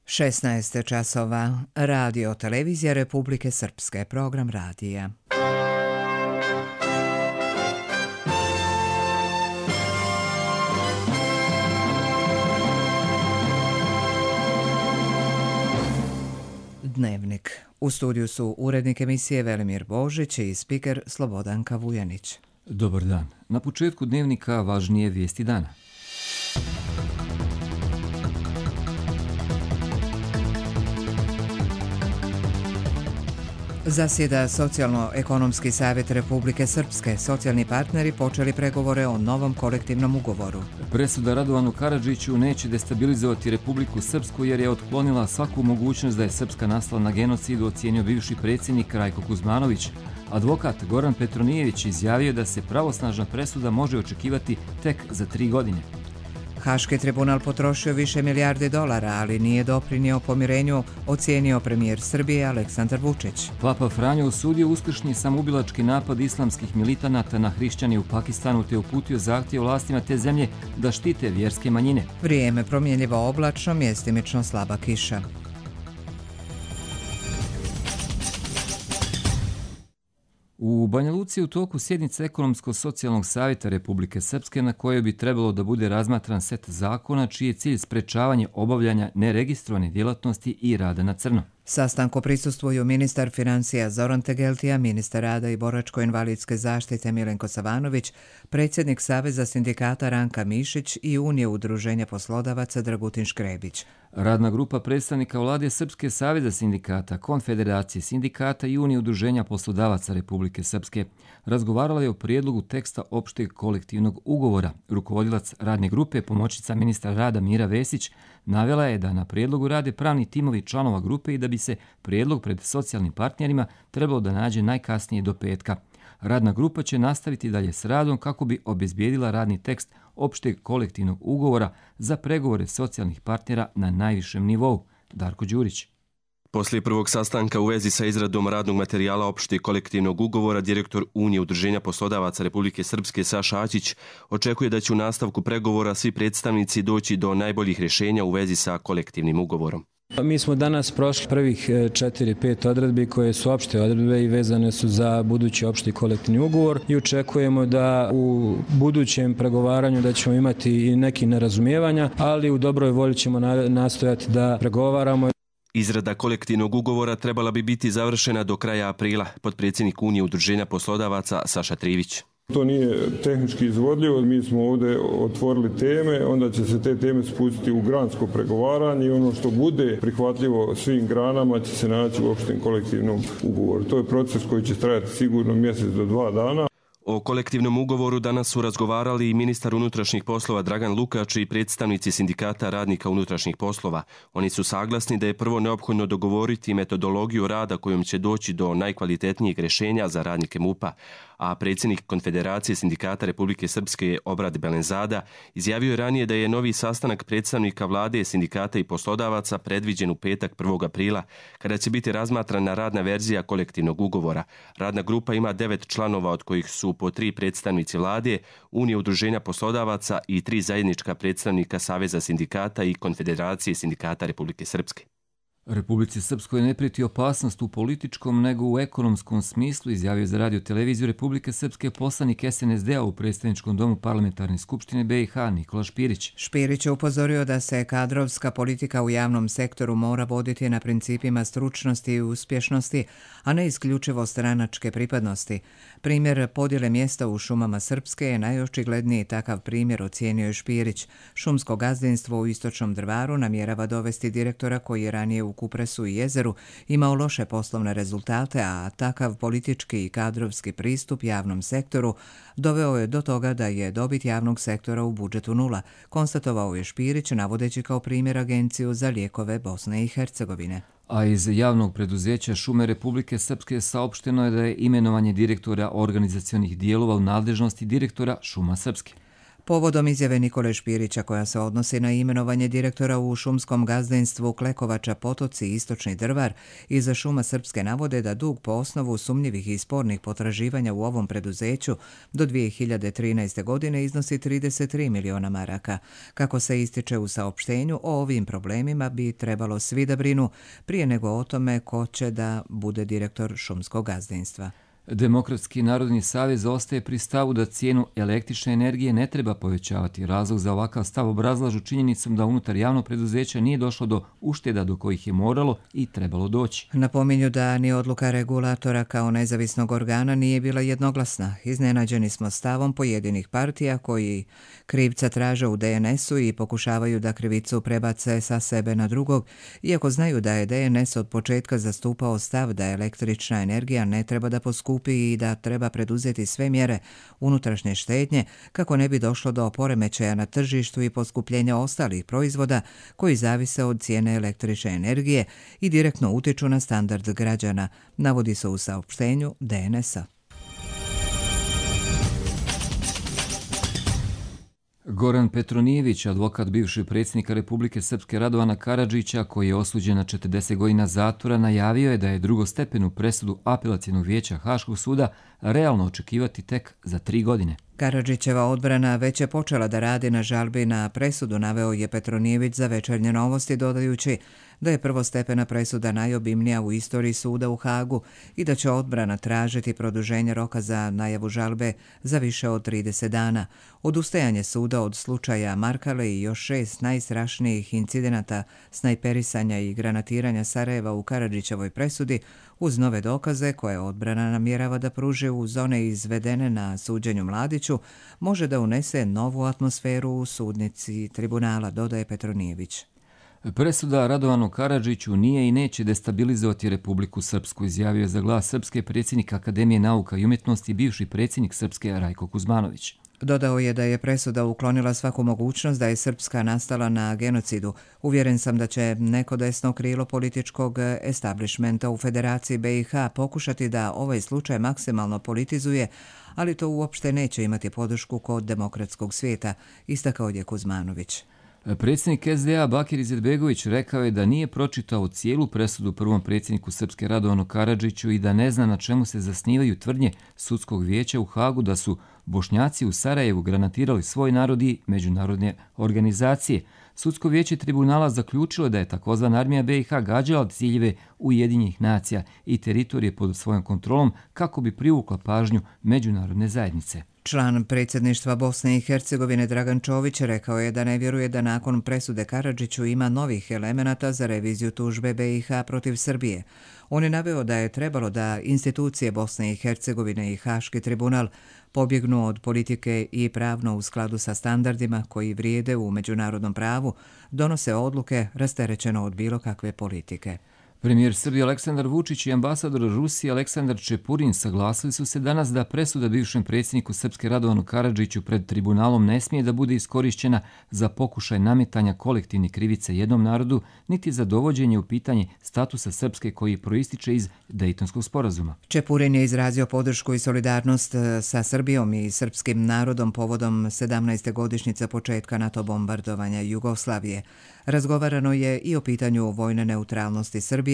16 časova. Radio televizija Republike Srpske. Program radija. Dnevnik. U studiju su urednik emisije Velimir Božić i spiker Slobodanka Vujanić. Dobar dan. Na početku dnevnika važnije vijesti dana. Zasjeda Socijalno-ekonomski savjet Republike Srpske. Socijalni partneri počeli pregovore o novom kolektivnom ugovoru. Presuda Radovanu Karadžiću neće destabilizovati Republiku Srpsku jer je otklonila svaku mogućnost da je Srpska nastala na genocidu, ocijenio bivši predsjednik Rajko Kuzmanović. Advokat Goran Petronijević izjavio da se pravosnažna presuda može očekivati tek za 3 godine. Haški tribunal potrošio više milijardi dolara, ali nije doprinio pomirenju, ocijenio premijer Srbije Aleksandar Vučić. Papa Franjo osudio uskršnji samoubilački napad islamskih militanata na hrišćane u Pakistanu te uputio zahtjev vlastima te zemlje da štite vjerske manjine. Vrijeme promjenljivo oblačno, mjestimično slaba kiša. U Banja Luci je u toku sjednice Ekonomsko-socijalnog savjeta Republike Srpske na kojoj bi trebalo da bude razmatran set zakona čiji je cilj sprečavanje obavljanja neregistrovane djelatnosti i rada na crno. Sastanku prisustvuju ministar financija Zoran Tegeltija, ministar rada i boračko-invalidske zaštite Milenko Savanović, predsjednik Saveza sindikata Ranka Mišić i Unije udruženja poslodavaca Dragutin Škrebić. Radna grupa predstavnika vlade Srpske saveza sindikata, Konfederacije sindikata i Unije udruženja poslodavaca Republike Srpske razgovarala je o prijedlogu teksta opšteg kolektivnog ugovora. Rukovodilac radne grupe, pomoćnica ministra rada Mira Vesić, navela je da na prijedlogu rade pravni timovi članova grupe i da bi se prijedlog pred socijalnim partnerima trebalo da nađe najkasnije do petka. Radna grupa će nastaviti dalje s radom kako bi obezbijedila radni tekst opšteg kolektivnog ugovora za pregovore socijalnih partnera na najvišem nivou. Darko Đurić. Poslije prvog sastanka u vezi sa izradom radnog materijala opšteg kolektivnog ugovora, direktor Unije udruženja poslodavaca Republike Srpske Saša Aćić očekuje da će u nastavku pregovora svi predstavnici doći do najboljih rješenja u vezi sa kolektivnim ugovorom. Mi smo danas prošli prvih 4-5 odredbi koje su opšte odredbe i vezane su za budući opšti kolektivni ugovor i očekujemo da u budućem pregovaranju da ćemo imati i neki nerazumijevanja, ali u dobroj volji ćemo nastojati da pregovaramo. Izrada kolektivnog ugovora trebala bi biti završena do kraja aprila, potpredsjednik Unije udruženja poslodavaca Saša Trivić. To nije tehnički izvodljivo, mi smo ovdje otvorili teme, onda će se te teme spustiti u gransko pregovaranje i ono što bude prihvatljivo svim granama će se naći u opštem kolektivnom ugovoru. To je proces koji će trajati sigurno mjesec do 2 dana. O kolektivnom ugovoru danas su razgovarali i ministar unutrašnjih poslova Dragan Lukač i predstavnici sindikata radnika unutrašnjih poslova. Oni su saglasni da je prvo neophodno dogovoriti metodologiju rada kojom će doći do najkvalitetnijeg rješenja za radnike MUP-a, a predsjednik Konfederacije sindikata Republike Srpske Obrad Belenzada izjavio je ranije da je novi sastanak predstavnika vlade, sindikata i poslodavaca predviđen u petak 1. aprila, kada će biti razmatrana radna verzija kolektivnog ugovora. Radna grupa ima 9 članova, od kojih su po 3 predstavnici vlade, Unije udruženja poslodavaca i 3 zajednička predstavnika Saveza sindikata i Konfederacije sindikata Republike Srpske. Republici Srpskoj ne prijeti opasnost u političkom nego u ekonomskom smislu, izjavio za radio televiziju Republike Srpske poslanik SNSD-a u predstavničkom domu parlamentarne skupštine BiH Nikola Špirić. Špirić je upozorio da se kadrovska politika u javnom sektoru mora voditi na principima stručnosti i uspješnosti, a ne isključivo stranačke pripadnosti. Primjer podjele mjesta u šumama Srpske je najočigledniji takav primjer, ocijenio je Špirić. Šumsko gazdinstvo u Istočnom Drvaru namjerava dovesti direktora koji je ranije u Kupresu i Jezeru imao loše poslovne rezultate, a takav politički i kadrovski pristup javnom sektoru doveo je do toga da je dobit javnog sektora u budžetu 0, konstatovao je Špirić navodeći kao primjer Agenciju za lijekove Bosne i Hercegovine. A iz javnog preduzeća Šume Republike Srpske saopšteno je da je imenovanje direktora organizacionih dijelova u nadležnosti direktora Šuma Srpske. Povodom izjave Nikole Špirića koja se odnosi na imenovanje direktora u šumskom gazdinstvu Klekovača Potoci i Istočni Drvar, iza šuma Srpske navode da dug po osnovu sumnjivih i spornih potraživanja u ovom preduzeću do 2013. godine iznosi 33 miliona maraka. Kako se ističe u saopštenju, o ovim problemima bi trebalo svi da brinu prije nego o tome ko će da bude direktor šumskog gazdinstva. Demokratski narodni savez ostaje pri stavu da cijenu električne energije ne treba povećavati. Razlog za ovakav stav obrazlažu činjenicom da unutar javnog preduzeća nije došlo do ušteda do kojih je moralo i trebalo doći. Napominju da ni odluka regulatora kao nezavisnog organa nije bila jednoglasna. Iznenađeni smo stavom pojedinih partija koji krivca traže u DNS-u i pokušavaju da krivicu prebace sa sebe na drugog, iako znaju da je DNS od početka zastupao stav da električna energija ne treba da poskupi i da treba preduzeti sve mjere unutrašnje štednje kako ne bi došlo do poremećaja na tržištu i poskupljenja ostalih proizvoda koji zavise od cijene električne energije i direktno utiču na standard građana, navodi se u saopštenju DNS-a. Goran Petronijević, advokat bivšeg predsjednika Republike Srpske Radovana Karadžića, koji je osuđen na 40 godina zatvora, najavio je da je drugostepenu presudu Apelacionog vijeća Haškog suda realno očekivati tek za 3 godine. Karadžićeva odbrana već je počela da radi na žalbi na presudu, naveo je Petronijević za Večernje novosti, dodajući da je prvostepena presuda najobimnija u istoriji suda u Hagu i da će odbrana tražiti produženje roka za najavu žalbe za više od 30 dana. Odustajanje suda od slučaja Markale i još 6 najstrašnijih incidenata snajperisanja i granatiranja Sarajeva u Karadžićevoj presudi uz nove dokaze koje odbrana namjerava da pruži uz one izvedene na suđenju Mladiću, može da unese novu atmosferu u sudnici tribunala, dodaje Petronijević. Presuda Radovanu Karadžiću nije i neće destabilizovati Republiku Srpsku, izjavio je za Glas Srpske predsjednik Akademije nauka i umjetnosti i bivši predsjednik Srpske Rajko Kuzmanović. Dodao je da je presuda uklonila svaku mogućnost da je Srpska nastala na genocidu. Uvjeren sam da će neko desno krilo političkog establishmenta u Federaciji BiH pokušati da ovaj slučaj maksimalno politizuje, ali to uopšte neće imati podršku kod demokratskog svijeta, istakao je Kuzmanović. Predsjednik SDA Bakir Izetbegović rekao je da nije pročitao cijelu presudu prvom predsjedniku Srpske Radovanu Karadžiću i da ne zna na čemu se zasnivaju tvrdnje sudskog vijeća u Hagu da su Bošnjaci u Sarajevu granatirali svoj narod i međunarodne organizacije. Sudsko vijeće tribunala zaključilo da je takozvana armija BiH gađala ciljeve Ujedinjenih nacija i teritorije pod svojom kontrolom kako bi privukla pažnju međunarodne zajednice. Član predsjedništva Bosne i Hercegovine Dragan Čović rekao je da ne vjeruje da nakon presude Karadžiću ima novih elemenata za reviziju tužbe BiH protiv Srbije. On je naveo da je trebalo da institucije Bosne i Hercegovine i Haški tribunal pobjegnu od politike i pravno u skladu sa standardima koji vrijede u međunarodnom pravu, donose odluke rasterećeno od bilo kakve politike. Premijer Srbije Aleksandar Vučić i ambasador Rusije Aleksandar Čepurin saglasili su se danas da presuda bivšem predsjedniku Srpske Radovanu Karadžiću pred tribunalom ne smije da bude iskorišćena za pokušaj nametanja kolektivne krivice jednom narodu, niti za dovođenje u pitanje statusa Srpske koji proističe iz Dejtonskog sporazuma. Čepurin je izrazio podršku i solidarnost sa Srbijom i srpskim narodom povodom 17. godišnjice početka NATO bombardovanja Jugoslavije. Razgovarano je i o pitanju vojne neutralnosti Srbije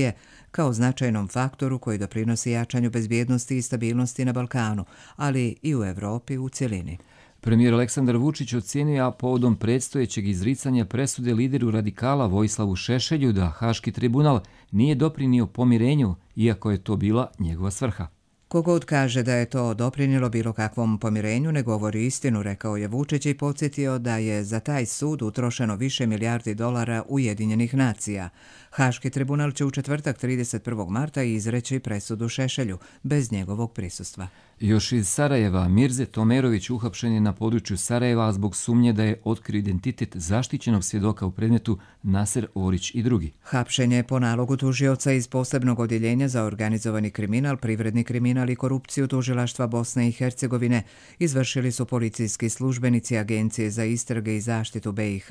kao značajnom faktoru koji doprinosi jačanju bezbjednosti i stabilnosti na Balkanu, ali i u Evropi u cjelini. Premijer Aleksandar Vučić ocijenio povodom predstojećeg izricanja presude lideru radikala Vojislavu Šešelju da Haški tribunal nije doprinio pomirenju, iako je to bila njegova svrha. Kogod kaže da je to doprinijelo bilo kakvom pomirenju ne govori istinu, rekao je Vučić i podsjetio da je za taj sud utrošeno više milijardi dolara Ujedinjenih nacija. Haški tribunal će u četvrtak 31. marta izreći presudu Šešelju bez njegovog prisustva. Još iz Sarajeva, Mirze Tomerović uhapšen je na području Sarajeva zbog sumnje da je otkrio identitet zaštićenog svjedoka u predmetu Naser Orić i drugi. Hapšen je po nalogu tužioca iz posebnog odjeljenja za organizovani kriminal, privredni kriminal i korupciju tužilaštva Bosne i Hercegovine. Izvršili su policijski službenici Agencije za istrage i zaštitu BiH.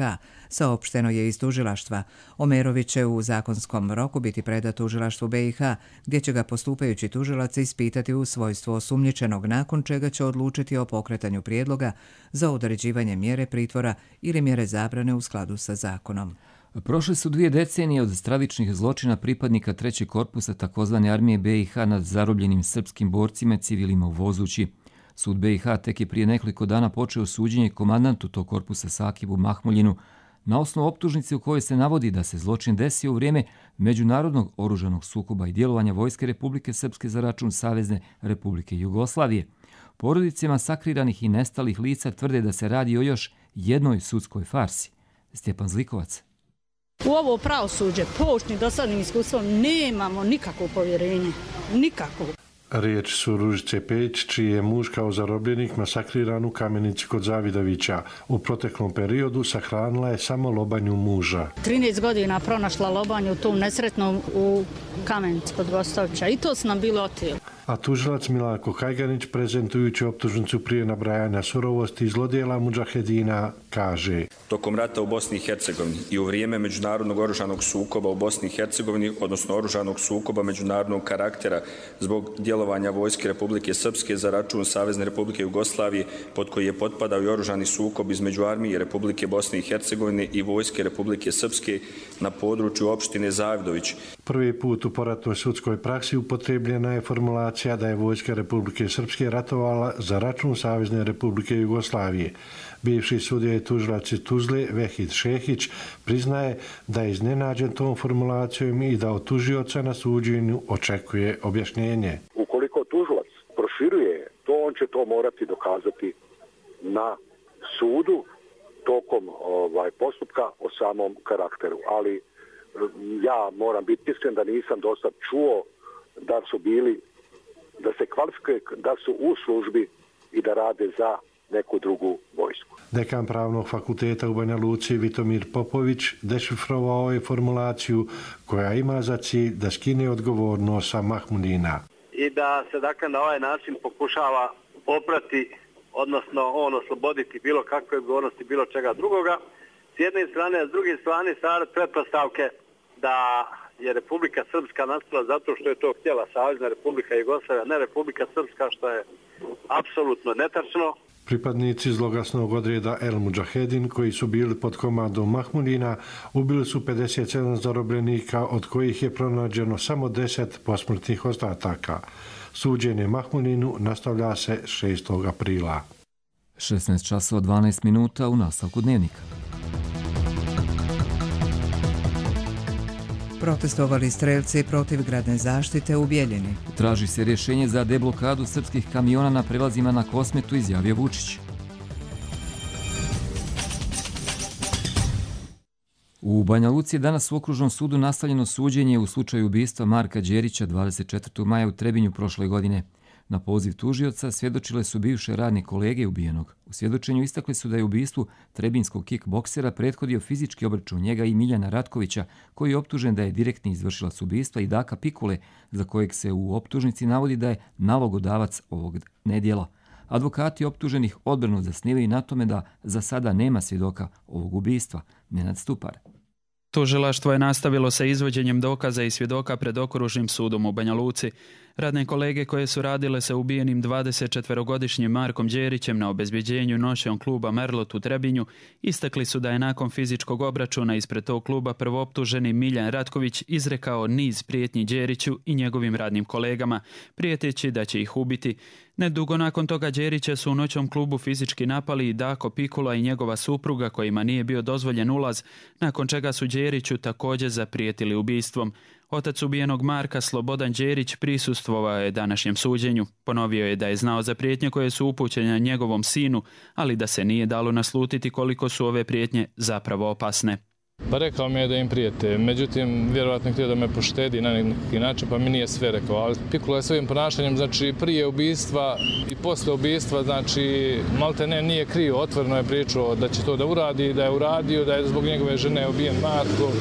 Saopšteno je iz tužilaštva. Omerović će u zakonskom roku biti predat tužilaštvu BiH, gdje će ga postupajući tužilac ispitati u svojstvu osumnjičenog osumnjičenog, nakon čega će odlučiti o pokretanju prijedloga za određivanje mjere pritvora ili mjere zabrane u skladu sa zakonom. Prošle su 2 decenije od stravičnih zločina pripadnika 3. korpusa tzv. Armije BiH nad zarobljenim srpskim borcima i civilima u Vozući. Sud BiH tek je prije nekoliko dana počeo suđenje komandantu tog korpusa Sakibu Mahmuljinu na osnovu optužnice u kojoj se navodi da se zločin desio u vrijeme međunarodnog oružanog sukoba i djelovanja Vojske Republike Srpske za račun Savezne Republike Jugoslavije. Porodice masakriranih i nestalih lica tvrde da se radi o još jednoj sudskoj farsi. Stjepan Zlikovac. U ovo pravosuđe, poučni dosadnim iskustvom, nemamo nikakvo povjerenje. Nikakvo. Riječ su Ružice Pejić, čiji je muž kao zarobljenik masakriran u Kamenici kod Zavidovića. U proteklom periodu sahranila je samo lobanju muža. 13 godina pronašla lobanju u tom nesretnom u Kamenici kod Gostovića i to su nam bilo otijeli. A tužilac Milanko Kajganić, prezentujući optužnicu prije nabrajanja surovosti i zlodjela mudžahedina, kaže: Tokom rata u Bosni i Hercegovini i u vrijeme međunarodnog oružanog sukoba u Bosni i Hercegovini, odnosno oružanog sukoba međunarodnog karaktera zbog djelovanja Vojske Republike Srpske za račun Savezne Republike Jugoslavije, pod koji je potpadao i oružani sukob između Armije Republike Bosne i Hercegovine i Vojske Republike Srpske na području opštine Zavidović. Prvi put u poratnoj sudskoj praksi upotrebljena je formulacija da je Vojska Republike Srpske ratovala za račun Savezne Republike Jugoslavije. Bivši sudija i tužilac iz Tuzle, Vehid Šehić, priznaje da je iznenađen tom formulacijom i da od tužioca na suđenju očekuje objašnjenje. Ukoliko tužilac proširuje to, on će to morati dokazati na sudu tokom postupka o samom karakteru. Ali ja moram biti iskren da nisam dosad čuo da su bili, da se kvalifikuje, da su u službi i da rade za neku drugu vojsku. Dekan Pravnog fakulteta u Banja Luci Vitomir Popović dešifrovao je formulaciju koja ima za cilj da skine odgovornost sa Mahmudina. I da se dakle na ovaj način pokušava oprati, odnosno on osloboditi bilo kakve odgovornosti, bilo čega drugoga. S jedne strane, a s druge strane stvarati pretpostavke da je Republika Srpska nastala zato što je to htjela Savezna Republika Jugoslavija, ne Republika Srpska, što je apsolutno netačno. Pripadnici zloglasnog odreda El Mudžahedin, koji su bili pod komandom Mahmudina, ubili su 57 zarobljenika, od kojih je pronađeno samo 10 posmrtnih ostataka. Suđenje Mahmudinu nastavlja se 6. aprila. 16 časova 12 minuta u nastavku dnevnika. Protestovali strelci protiv gradne zaštite u Bijeljini. Traži se rješenje za deblokadu srpskih kamiona na prelazima na Kosmetu, izjavio Vučić. U Banja Luci je danas u Okružnom sudu nastavljeno suđenje u slučaju ubistva Marka Đerića 24. maja u Trebinju prošle godine. Na poziv tužioca svjedočile su bivše radne kolege ubijenog. U svjedočenju istakli su da je ubistvu trebinskog kickboksera prethodio fizički obračun njega i Miljana Ratkovića, koji je optužen da je direktni izvršilac ubistva, i Daka Pikule, za kojeg se u optužnici navodi da je nalogodavac ovog nedjela. Advokati optuženih odbranu zasnivaju na tome da za sada nema svjedoka ovog ubistva. Nenad Stupar. Tužilaštvo je nastavilo sa izvođenjem dokaza i svjedoka pred Okružnim sudom u Banja Luci. Radne kolege koje su radile sa ubijenim 24-godišnjim Markom Đerićem na obezbjeđenju noćnog kluba Merlot u Trebinju istakli su da je nakon fizičkog obračuna ispred tog kluba prvooptuženi Miljan Ratković izrekao niz prijetnji Đeriću i njegovim radnim kolegama, prijeteći da će ih ubiti. Nedugo nakon toga Đerića su u noćnom klubu fizički napali i Dako Pikula i njegova supruga, kojima nije bio dozvoljen ulaz, nakon čega su Đeriću također zaprijetili ubistvom. Otac ubijenog Marka, Slobodan Đerić, prisustvovao je današnjem suđenju. Ponovio je da je znao za prijetnje koje su upućene njegovom sinu, ali da se nije dalo naslutiti koliko su ove prijetnje zapravo opasne. Pa rekao mi je da im prijete, međutim vjerojatno htio da me poštedi na neki način, pa mi nije sve rekao. Ali Pikula je svojim ponašanjem, znači prije ubistva i posle ubistva, znači malte ne nije krio, otvoreno je pričao da će to da uradi, da je uradio, da je zbog njegove žene ubijen Marko.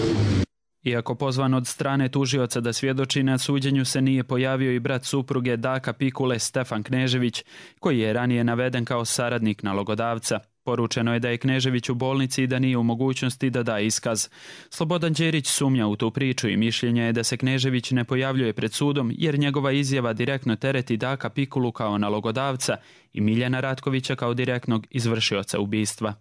Iako pozvan od strane tužioca da svjedoči, na suđenju se nije pojavio i brat supruge Daka Pikule, Stefan Knežević, koji je ranije naveden kao saradnik nalogodavca. Poručeno je da je Knežević u bolnici i da nije u mogućnosti da da iskaz. Slobodan Đerić sumnja u tu priču i mišljenja je da se Knežević ne pojavljuje pred sudom jer njegova izjava direktno tereti Daka Pikulu kao nalogodavca i Miljana Ratkovića kao direktnog izvršioca ubistva.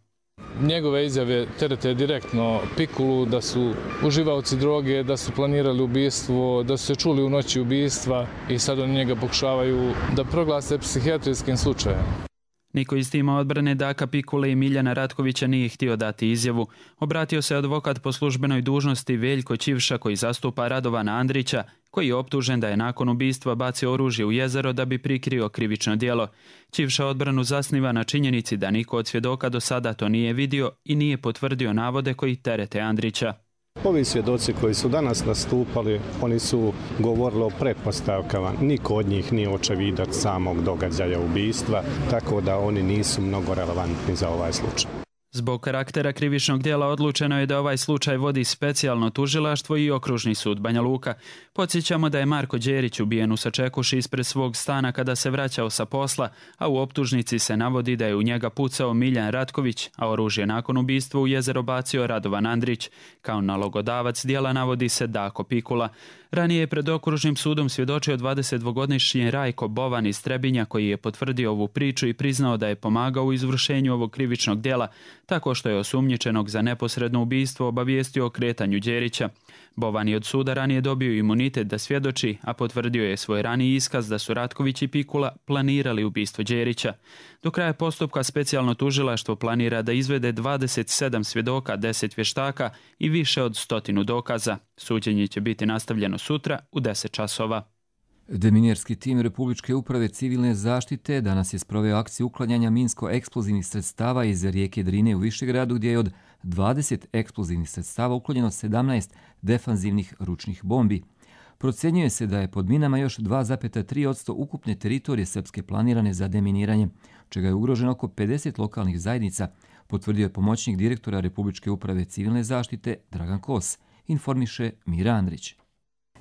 Njegove izjave terete direktno Pikulu, da su uživaoci droge, da su planirali ubistvo, da su se čuli u noći ubistva i sad oni njega pokušavaju da proglase psihijatrijskim slučajem. Niko iz tima odbrane Daka Pikule i Miljana Ratkovića nije htio dati izjavu. Obratio se advokat po službenoj dužnosti Veljko Ćivša koji zastupa Radovana Andrića, koji je optužen da je nakon ubistva bacio oružje u jezero da bi prikrio krivično djelo. Ćivša odbranu zasniva na činjenici da niko od svjedoka do sada to nije vidio i nije potvrdio navode koji terete Andrića. Ovi svjedoci koji su danas nastupali, oni su govorili o pretpostavkama. Niko od njih nije očevidac samog događaja ubistva, tako da oni nisu mnogo relevantni za ovaj slučaj. Zbog karaktera krivičnog djela odlučeno je da ovaj slučaj vodi specijalno tužilaštvo i okružni sud Banja Luka. Podsjećamo da je Marko Đerić ubijen u Sačekuši ispred svog stana kada se vraćao sa posla, a u optužnici se navodi da je u njega pucao Miljan Ratković, a oružje nakon ubistva u jezero bacio Radovan Andrić. Kao nalogodavac djela navodi se Dako Pikula. Ranije je pred okružnim sudom svjedočio 22-godišnji Rajko Bovan iz Trebinja koji je potvrdio ovu priču i priznao da je pomagao u izvršenju ovog krivičnog djela, tako što je osumnjičenog za neposredno ubistvo obavijestio o kretanju Đerića. Bovan je od suda ranije dobio imunitet da svjedoči, a potvrdio je svoj raniji iskaz da su Ratković i Pikula planirali ubistvo Đerića. Do kraja postupka specijalno tužilaštvo planira da izvede 27 svjedoka, 10 vještaka i više od 100 dokaza. Suđenje će biti nastavljeno sutra u 10 časova. Deminjerski tim Republičke uprave civilne zaštite danas je sproveo akciju uklanjanja minsko-eksplozivnih sredstava iz rijeke Drine u Višegradu, gdje je od 20 eksplozivnih sredstava uklonjeno 17 defanzivnih ručnih bombi. Procjenjuje se da je pod minama još 2,3% ukupne teritorije Srpske planirane za deminiranje, čega je ugroženo oko 50 lokalnih zajednica, potvrdio je pomoćnik direktora Republičke uprave civilne zaštite Dragan Kos, informiše Mira Andrić.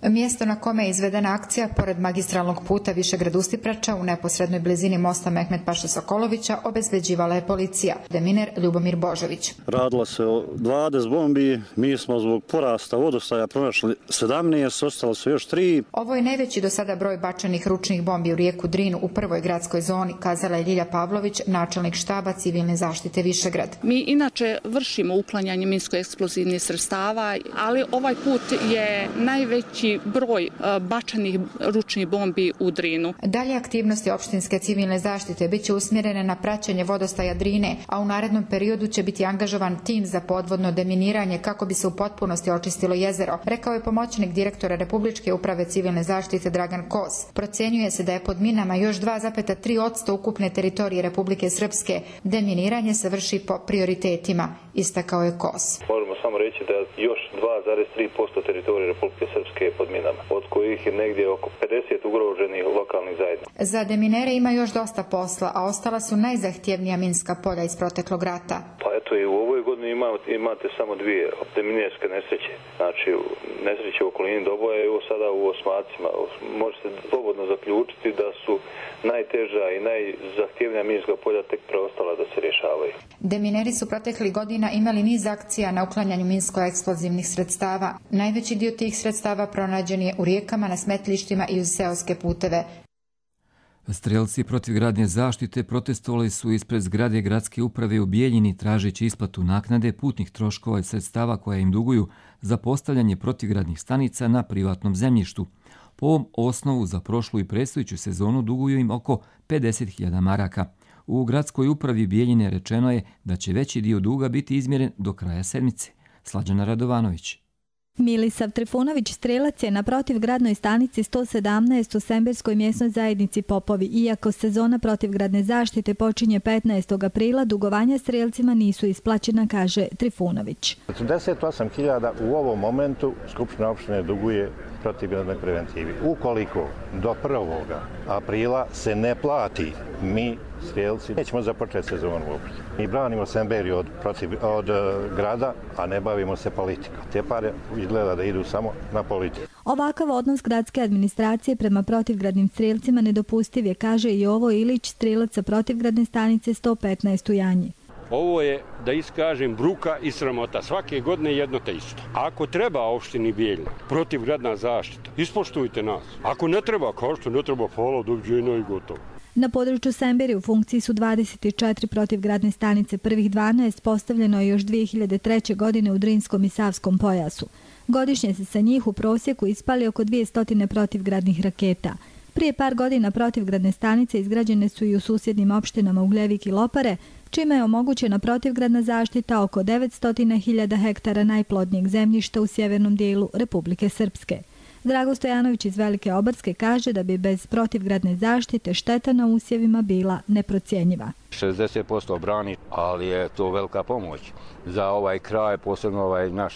Mjesto na kome je izvedena akcija pored magistralnog puta Višegrad-Ustiprača u neposrednoj blizini mosta Mehmet Paše Sokolovića obezbeđivala je policija. Deminer Ljubomir Božović. Radilo se o 20 bombi, mi smo zbog porasta vodostaja pronašli 17, ostalo su još 3. Ovo je najveći do sada broj bačenih ručnih bombi u rijeku Drinu u prvoj gradskoj zoni, kazala je Ljilja Pavlović, načelnik štaba civilne zaštite Višegrad. Mi inače vršimo uklanjanje minsko-eksplozivnih sredstava, ali ovaj put je najveći broj bačenih ručnih bombi u Drinu. Dalje aktivnosti opštinske civilne zaštite bit će usmjerene na praćenje vodostaja Drine, a u narednom periodu će biti angažovan tim za podvodno deminiranje kako bi se u potpunosti očistilo jezero, rekao je pomoćnik direktora Republičke uprave civilne zaštite Dragan Kos. Procjenjuje se da je pod minama još 2,3% ukupne teritorije Republike Srpske. Deminiranje se vrši po prioritetima, istakao je Kos. Možemo samo reći da još 2,3% teritorije Republike Srpske je pod minama, od kojih je negdje oko 50 ugroženih lokalnih zajednica. Za deminere ima još dosta posla, a ostala su najzahtjevnija minska polja iz proteklog rata. Pa eto i u ovoj godini imate samo dvije deminerske nesreće. Znači nesreće u okolini Doboja i sada u Osmacima. Možete slobodno zaključiti da su najteža i najzahtjevnija minska polja tek preostala da se rješavaju. Demineri su proteklih godina imali niz akcija na uklanjanju minsko-eksplozivnih sredstava. Najveći dio tih sredstava pronađen je u rijekama, na smetlištima i uz seoske puteve. Strelci protivgradne zaštite protestovali su ispred zgrade gradske uprave u Bijeljini tražeći isplatu naknade putnih troškova i sredstava koja im duguju za postavljanje protivgradnih stanica na privatnom zemljištu. Po ovom osnovu za prošlu i predstojeću sezonu duguju im oko 50.000 maraka. U gradskoj upravi Bijeljine rečeno je da će veći dio duga biti izmjeren do kraja sedmice. Slađana Radovanović. Milisav Trifunović strelac je na protivgradnoj stanici 117 u Semberskoj mjesnoj zajednici Popovi. Iako sezona protivgradne zaštite počinje 15. aprila, dugovanja strelcima nisu isplaćena, kaže Trifunović. 48.000 u ovom momentu Skupština opštine duguje protivgradnoj preventivi. Ukoliko do 1. aprila se ne plati, mi strelci nećemo započeti sezonu uopšte. Mi branimo Semberiju od grada, a ne bavimo se politikom. Te pare izgleda da idu samo na politiku. Ovakav odnos gradske administracije prema protivgradnim strelcima nedopustiv je, kaže i Jovo Ilić, strelac sa protivgradne stanice 115 u Janji. Ovo je, da iskažem, bruka i sramota. Svake godine jedno te isto. Ako treba opštini Bijeljina protivgradna zaštita, ispoštujte nas. Ako ne treba, kao što ne treba, hvala, doviđenja i gotovo. Na području Semberi u funkciji su 24 protivgradne stanice, prvih 12 postavljeno je još 2003. godine u Drinskom i Savskom pojasu. Godišnje se sa njih u prosjeku ispali oko 200 protivgradnih raketa. Prije par godina protivgradne stanice izgrađene su i u susjednim opštinama Ugljevik i Lopare, čime je omogućena protivgradna zaštita oko 900.000 hektara najplodnijeg zemljišta u sjevernom dijelu Republike Srpske. Drago Stojanović iz Velike Obarske kaže da bi bez protivgradne zaštite šteta na usjevima bila neprocjenjiva. 60% brani, ali je to velika pomoć za ovaj kraj, posebno ovaj naš,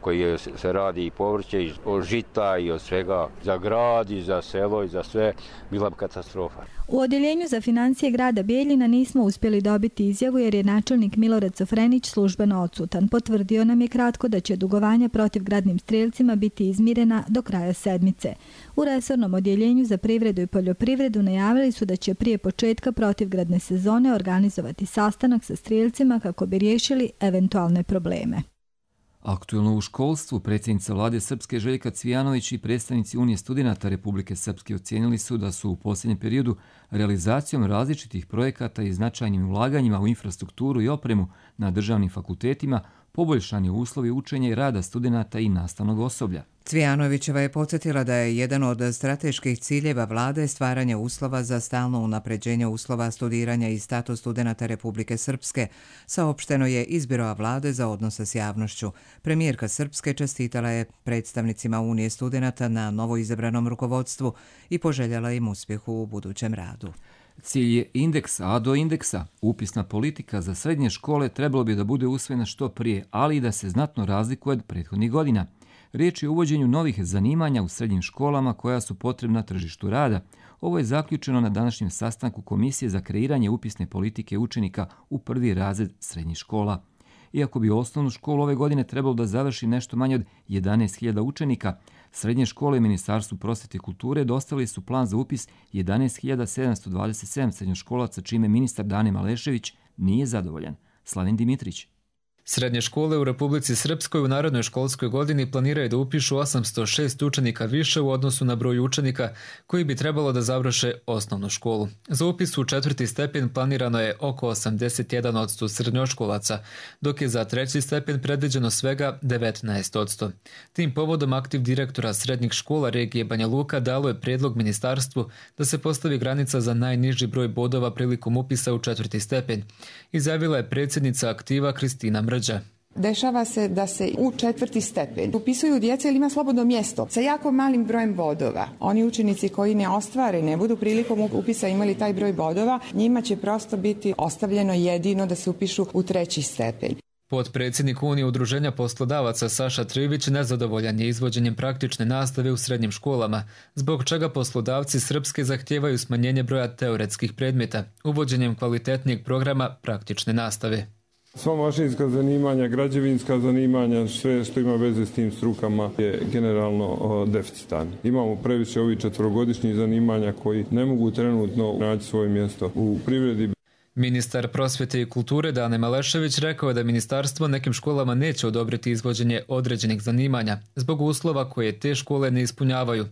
koji se radi i povrće, i od žita i od svega, za grad i za selo i za sve, bila bi katastrofa. U odjeljenju za financije grada Bijeljina nismo uspjeli dobiti izjavu jer je načelnik Milorad Sofrenić službeno odsutan. Potvrdio nam je kratko da će dugovanja protivgradnim strijelcima biti izmirena do kraja sedmice. U resornom odjeljenju za privredu i poljoprivredu najavili su da će prije početka protivgradne sezone organizovati sastanak sa strijelcima kako bi riješili eventualne probleme. Aktuelno u školstvu predsjednica vlade Srpske Željka Cvijanović i predstavnici Unije studenata Republike Srpske ocijenili su da su u posljednjem periodu realizacijom različitih projekata i značajnim ulaganjima u infrastrukturu i opremu na državnim fakultetima poboljšani uslovi učenja i rada studenata i nastavnog osoblja. Cvijanovićeva je podsjetila da je jedan od strateških ciljeva vlade stvaranje uslova za stalno unapređenje uslova studiranja i status studenata Republike Srpske, saopšteno je iz Biroa vlade za odnose s javnošću. Premijerka Srpske čestitala je predstavnicima Unije studenata na novoizabranom rukovodstvu i poželjela im uspjehu u budućem radu. Cilj je indeks, a do indeksa upisna politika za srednje škole trebalo bi da bude usvojena što prije, ali i da se znatno razlikuje od prethodnih godina. Riječ je o uvođenju novih zanimanja u srednjim školama koja su potrebna tržištu rada. Ovo je zaključeno na današnjem sastanku Komisije za kreiranje upisne politike učenika u prvi razred srednjih škola. Iako bi osnovnu školu ove godine trebalo da završi nešto manje od 11.000 učenika, srednje škole i Ministarstvu prosvete i kulture dostavili su plan za upis 11.727 srednjoškolaca, čime ministar Dane Malešević nije zadovoljan. Slavin Dimitrić. Srednje škole u Republici Srpskoj u narednoj školskoj godini planiraju da upišu 806 učenika više u odnosu na broj učenika koji bi trebalo da završe osnovnu školu. Za upis u 4. stepen planirano je oko 81% srednjoškolaca, dok je za 3. stepen predviđeno svega 19%. Tim povodom aktiv direktora srednjih škola regije Banja Luka dalo je prijedlog ministarstvu da se postavi granica za najniži broj bodova prilikom upisa u 4. stepen. Izjavila je predsjednica aktiva Kristina Mrđa. Dešava se da se u 4. stepen upisuju djeca ili ima slobodno mjesto sa jako malim brojem bodova. Oni učenici koji ne ostvare, ne budu prilikom upisa imali taj broj bodova, njima će prosto biti ostavljeno jedino da se upišu u 3. stepen. Potpredsjednik Unije udruženja poslodavaca Saša Trivić nezadovoljan je izvođenjem praktične nastave u srednjim školama, zbog čega poslodavci Srpske zahtijevaju smanjenje broja teoretskih predmeta, uvođenjem kvalitetnijeg programa praktične nastave. Sva mašinska zanimanja, građevinska zanimanja, sve što ima veze s tim strukama je generalno deficitarno. Imamo previše ovih 4-godišnjih zanimanja koji ne mogu trenutno naći svoje mjesto u privredi. Ministar prosvete i kulture Dane Malešević rekao je da ministarstvo nekim školama neće odobriti izvođenje određenih zanimanja zbog uslova koje te škole ne ispunjavaju.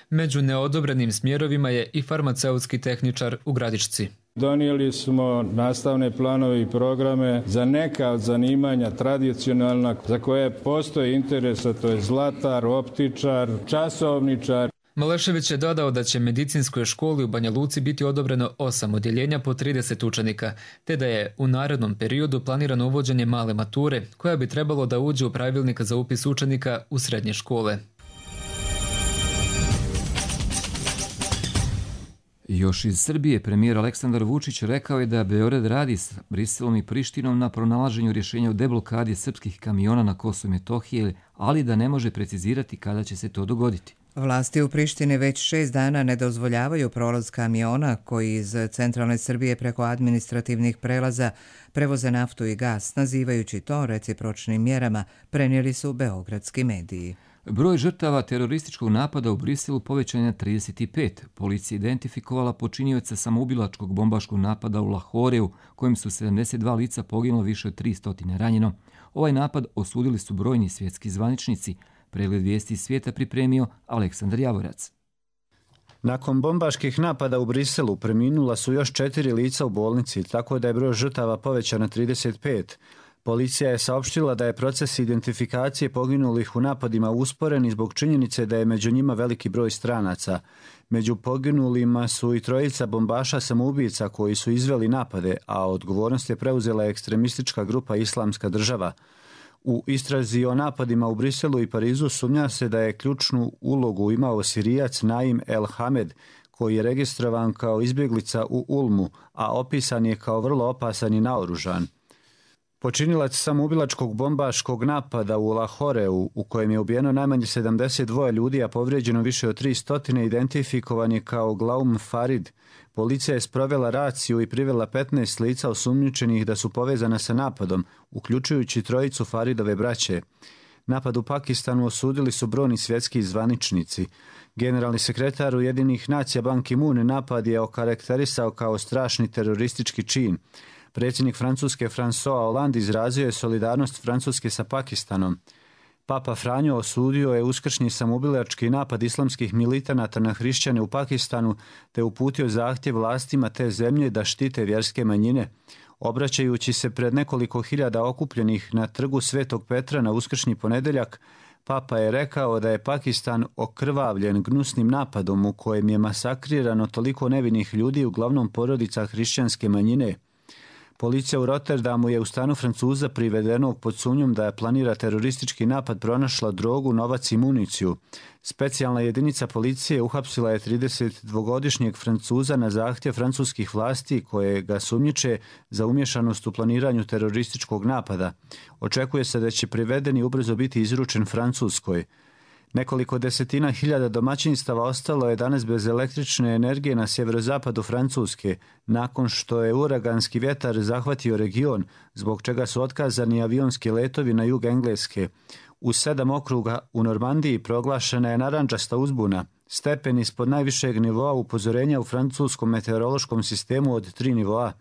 Među neodobrenim smjerovima je i farmaceutski tehničar u Gradišci. Donijeli smo nastavne planove i programe za neka od zanimanja tradicionalna za koje postoji interes, a to je zlatar, optičar, časovničar. Malešević je dodao da će medicinskoj školi u Banja Luci biti odobreno 8 odjeljenja po 30 učenika, te da je u narednom periodu planirano uvođenje male mature, koja bi trebalo da uđe u pravilnik za upis učenika u srednje škole. Još iz Srbije premijer Aleksandar Vučić rekao je da Beograd radi s Briselom i Prištinom na pronalaženju rješenja o deblokadi srpskih kamiona na Kosovu i Metohiji, ali da ne može precizirati kada će se to dogoditi. Vlasti u Prištini već 6 dana ne dozvoljavaju prolaz kamiona koji iz centralne Srbije preko administrativnih prelaza prevoze naftu i gas, nazivajući to recipročnim mjerama, prenijeli su beogradski mediji. Broj žrtava terorističkog napada u Briselu povećan je na 35. Policija identifikovala počinioca samoubilačkog bombaškog napada u Lahoreu, kojim su 72 lica poginulo, više od 300 ranjeno. Ovaj napad osudili su brojni svjetski zvaničnici. Pregled vijesti iz svijeta pripremio Aleksandar Javorac. Nakon bombaških napada u Briselu preminula su još 4 lica u bolnici, tako da je broj žrtava povećan na 35. Policija je saopštila da je proces identifikacije poginulih u napadima usporen zbog činjenice da je među njima veliki broj stranaca. Među poginulima su i 3 bombaša samoubica koji su izveli napade, a odgovornost je preuzela ekstremistička grupa Islamska država. U istrazi o napadima u Briselu i Parizu sumnja se da je ključnu ulogu imao Sirijac Naim El Hamed, koji je registrovan kao izbjeglica u Ulmu, a opisan je kao vrlo opasan i naoružan. Počinilac samoubilačkog bombaškog napada u Lahoreu, u kojem je ubijeno najmanje 72 ljudi, a povrijeđeno više od 300, identifikovan je kao Glaum Farid. Policija je sprovela raciju i privela 15 lica osumnjičenih da su povezana sa napadom, uključujući 3 Faridove braće. Napad u Pakistanu osudili su brojni svjetski zvaničnici. Generalni sekretar Ujedinjenih nacija Ban Ki-moon napad je okarakterisao kao strašni teroristički čin. Predsjednik Francuske François Hollande izrazio je solidarnost Francuske sa Pakistanom. Papa Franjo osudio je uskršnji samoubilački napad islamskih militanata na hrišćane u Pakistanu te uputio zahtjev vlastima te zemlje da štite vjerske manjine. Obraćajući se pred nekoliko hiljada okupljenih na trgu Svetog Petra na uskršnji ponedjeljak, Papa je rekao da je Pakistan okrvavljen gnusnim napadom u kojem je masakrirano toliko nevinih ljudi, uglavnom porodica hrišćanske manjine. Policija u Rotterdamu je u stanu Francuza privedenog pod sumnjom da je planira teroristički napad pronašla drogu, novac i municiju. Specijalna jedinica policije uhapsila je 32-godišnjeg Francuza na zahtjev francuskih vlasti koje ga sumnjiče za umješanost u planiranju terorističkog napada. Očekuje se da će privedeni ubrzo biti izručen Francuskoj. Nekoliko desetina hiljada domaćinstava ostalo je danas bez električne energije na sjeverozapadu Francuske, nakon što je uraganski vjetar zahvatio region, zbog čega su otkazani avionski letovi na jug Engleske. U 7 okruga u Normandiji proglašena je narandžasta uzbuna, stepen ispod najvišeg nivoa upozorenja u francuskom meteorološkom sistemu od 3 nivoa.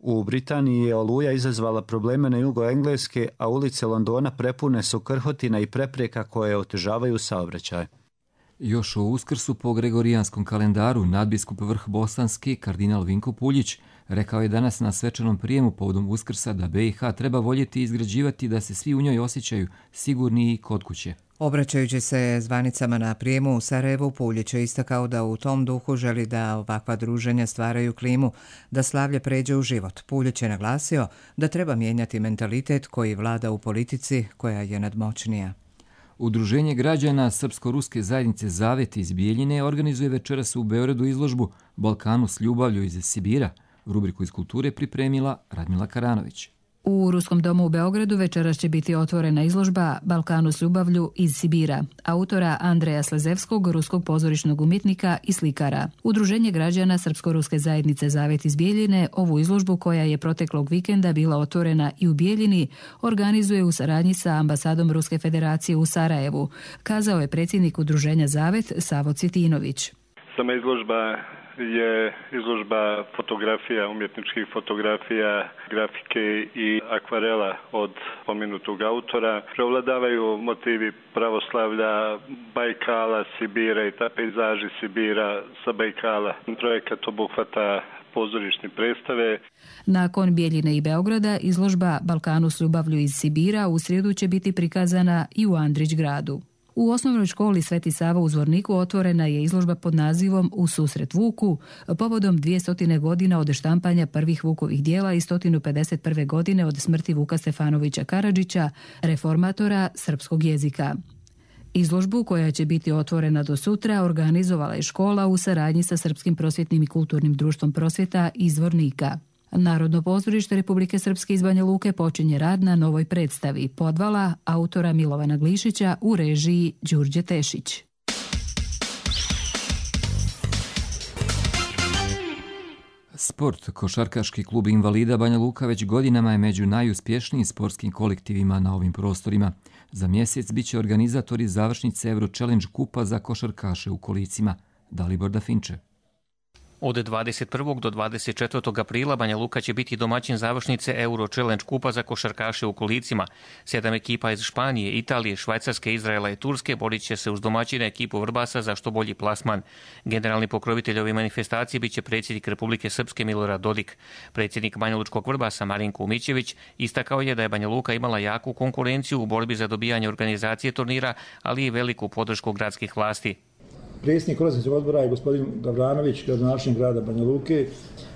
U Britaniji je oluja izazvala probleme na jugo Engleske, a ulice Londona prepune su krhotina i prepreka koje otežavaju saobraćaj. Još o Uskrsu po gregorijanskom kalendaru nadbiskup Vrh Bosanski, kardinal Vinko Puljić, rekao je danas na svečanom prijemu povodom Uskrsa da BiH treba voljeti i izgrađivati da se svi u njoj osjećaju sigurni i kod kuće. Obraćajući se zvanicama na prijemu u Sarajevu, Puljić je istakao da u tom duhu želi da ovakva druženja stvaraju klimu, da slavlje pređe u život. Puljić je naglasio da treba mijenjati mentalitet koji vlada u politici koja je nadmoćnija. Udruženje građana Srpsko-ruske zajednice Zavet iz Bijeljine organizuje večeras u Beogradu izložbu Balkanu s ljubavlju iz Sibira. Rubriku iz kulture pripremila Radmila Karanović. U Ruskom domu u Beogradu večeras će biti otvorena izložba Balkanu s ljubavlju iz Sibira, autora Andreja Slezevskog, ruskog pozorišnog umjetnika i slikara. Udruženje građana Srpsko-ruske zajednice Zavet iz Bijeljine ovu izložbu, koja je proteklog vikenda bila otvorena i u Bijeljini, organizuje u saradnji sa ambasadom Ruske federacije u Sarajevu, kazao je predsjednik udruženja Zavet Savo Cvitinović. Sama izložba je izložba fotografija, umjetničkih fotografija, grafike i akvarela od pomenutog autora. Preovladavaju motivi pravoslavlja, Bajkala, Sibira i ta pejzaži Sibira sa Bajkala. Projekat obuhvata pozorišne predstave. Nakon Bijeljine i Beograda, izložba Balkanu s ljubavlju iz Sibira u srijedu će biti prikazana i u Andrić gradu. U osnovnoj školi Sveti Sava u Zvorniku otvorena je izložba pod nazivom U susret Vuku, povodom 200 godina od štampanja prvih Vukovih dijela i 151. godine od smrti Vuka Stefanovića Karadžića, reformatora srpskog jezika. Izložbu, koja će biti otvorena do sutra, organizovala je škola u saradnji sa Srpskim prosvjetnim i kulturnim društvom prosvjeta iz Zvornika. Narodno pozorište Republike Srpske iz Banja Luke počinje rad na novoj predstavi Podvala autora Milovana Glišića u režiji Đurđe Tešić. Sport. Košarkaški klub invalida Banja Luka već godinama je među najuspješnijim sportskim kolektivima na ovim prostorima. Za mjesec bit će organizatori završnice Euro Challenge kupa za košarkaše u kolicima. Dalibor Dafinče. Od 21. do 24. aprila Banja Luka će biti domaćin završnice Euro Challenge kupa za košarkaše u kolicima. 7 ekipa iz Španije, Italije, Švajcarske, Izraela i Turske borit će se uz domaćine ekipu Vrbasa za što bolji plasman. Generalni pokrovitelj ove manifestacije bit će predsjednik Republike Srpske Milorad Dodik. Predsjednik Banjalučkog Vrbasa Marinko Umićević istakao je da je Banja Luka imala jaku konkurenciju u borbi za dobijanje organizacije turnira, ali i veliku podršku gradskih vlasti. Predsjednik organizacijskog odbora je gospodin Gavranović, gradonačelnik grada Banja Luke.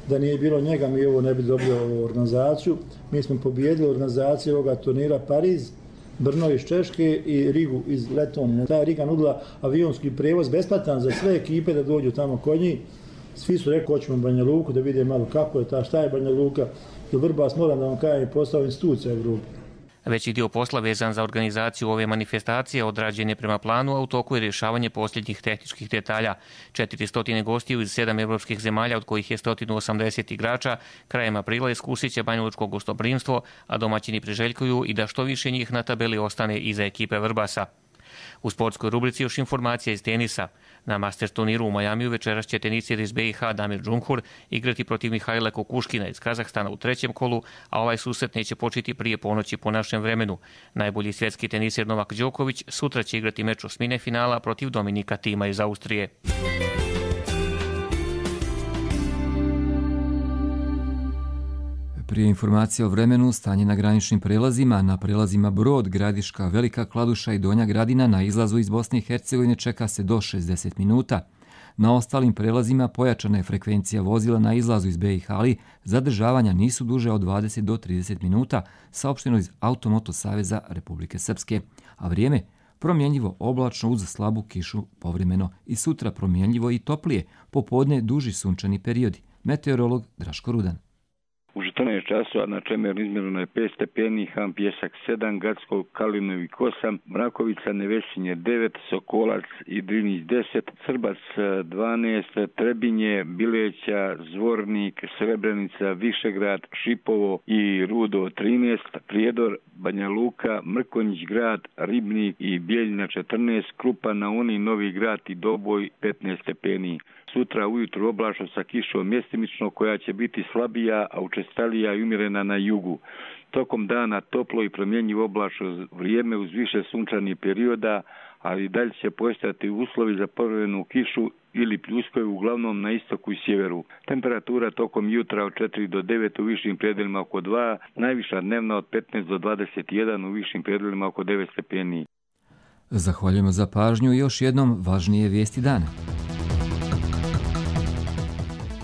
Da nije bilo njega, mi ovo ne bi dobili ovu organizaciju. Mi smo pobijedili organizaciju ovoga turnira Pariz, Brno iz Češke i Rigu iz Letonije. Ta Riga nudila avionski prijevoz besplatan za sve ekipe da dođu tamo kod njih. Svi su rekli, hoćemo Banja Luku da vide malo kako je ta, šta je Banja Luka. Jer Vrbas, moram da vam kažem, postao institucija u Evropi. Veći dio posla vezan za organizaciju ove manifestacije odrađen je prema planu, a u toku je rješavanje posljednjih tehničkih detalja. 400 gostiju iz 7 evropskih zemalja, od kojih je 180 igrača, krajem aprila iskusit će banjalučko gostoprimstvo, a domaćini priželjkuju i da što više njih na tabeli ostane iza ekipe Vrbasa. U sportskoj rubrici još informacija iz tenisa. Na Masters turniru u Majamiju večeras će tenisir iz BiH Damir Džumhur igrati protiv Mihajla Kukuškina iz Kazahstana u trećem kolu, a ovaj susret neće početi prije ponoći po našem vremenu. Najbolji svjetski tenisir Novak Đoković sutra će igrati meč osmine finala protiv Dominika Tima iz Austrije. Prije informacije o vremenu, stanje na graničnim prelazima, na prelazima Brod, Gradiška, Velika Kladuša i Donja Gradina na izlazu iz Bosne i Hercegovine čeka se do 60 minuta. Na ostalim prelazima pojačana je frekvencija vozila na izlazu iz BiH, ali zadržavanja nisu duže od 20 do 30 minuta, saopšteno iz Automoto Saveza Republike Srpske, a vrijeme promjenjivo oblačno uz slabu kišu povremeno i sutra promjenjivo i toplije, popodne duži sunčani periodi. Meteorolog Draško Rudan. U 14 časova na Čemeru izmjereno je 5 stepeni, Ham Pjesak 7, Gacko, Kalinovik 8, Mrakovica, Nevesinje 9, Sokolac i Drinić 10, Srbac 12, Trebinje, Bileća, Zvornik, Srebrenica, Višegrad, Šipovo i Rudo 13, Prijedor, Banja Luka, Mrkonjić grad, Ribnik i Bijeljina 14, Krupa na Uni, Novi grad i Doboj 15 stepeni. Sutra ujutru oblačno sa kišom mjestimično koja će biti slabija, a učestalija i umjerena na jugu. Tokom dana toplo i promjenjivo oblačno vrijeme uz više sunčanih perioda, ali dalje će postojati uslovi za povremenu kišu ili pljuskaju uglavnom na istoku i sjeveru. Temperatura tokom jutra od 4 do 9 u višim predelima oko 2, najviša dnevna od 15 do 21 u višim predelima oko 9 stepeni. Zahvaljujemo za pažnju i još jednom važnije vijesti dana.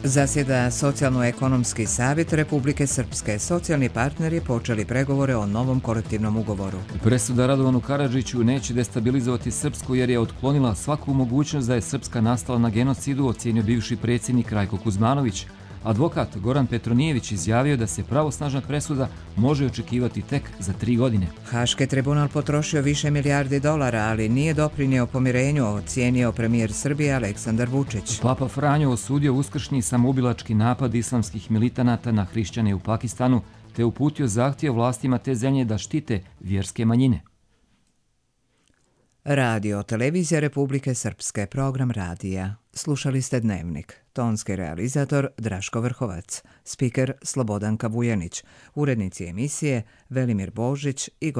Zasjeda Socijalno-ekonomski savjet Republike Srpske. Socijalni partneri počeli pregovore o novom kolektivnom ugovoru. Presuda Radovanu Karadžiću neće destabilizovati Srpsku jer je otklonila svaku mogućnost da je Srpska nastala na genocidu, ocijenio bivši predsjednik Rajko Kuzmanović. Advokat Goran Petronijević izjavio da se pravosnažna presuda može očekivati tek za 3 godine. Haški tribunal potrošio više milijardi dolara, ali nije doprinio pomirenju, ocijenio premijer Srbije Aleksandar Vučić. Papa Franjo osudio uskršnji samoubilački napad islamskih militanata na hrišćane u Pakistanu, te uputio zahtjev vlastima te zemlje da štite vjerske manjine. Radio Televizija Republike Srpske, program radija. Slušali ste Dnevnik. Tonski realizator Draško Vrhovac, spiker Slobodanka Vujanić, urednici emisije Velimir Božić i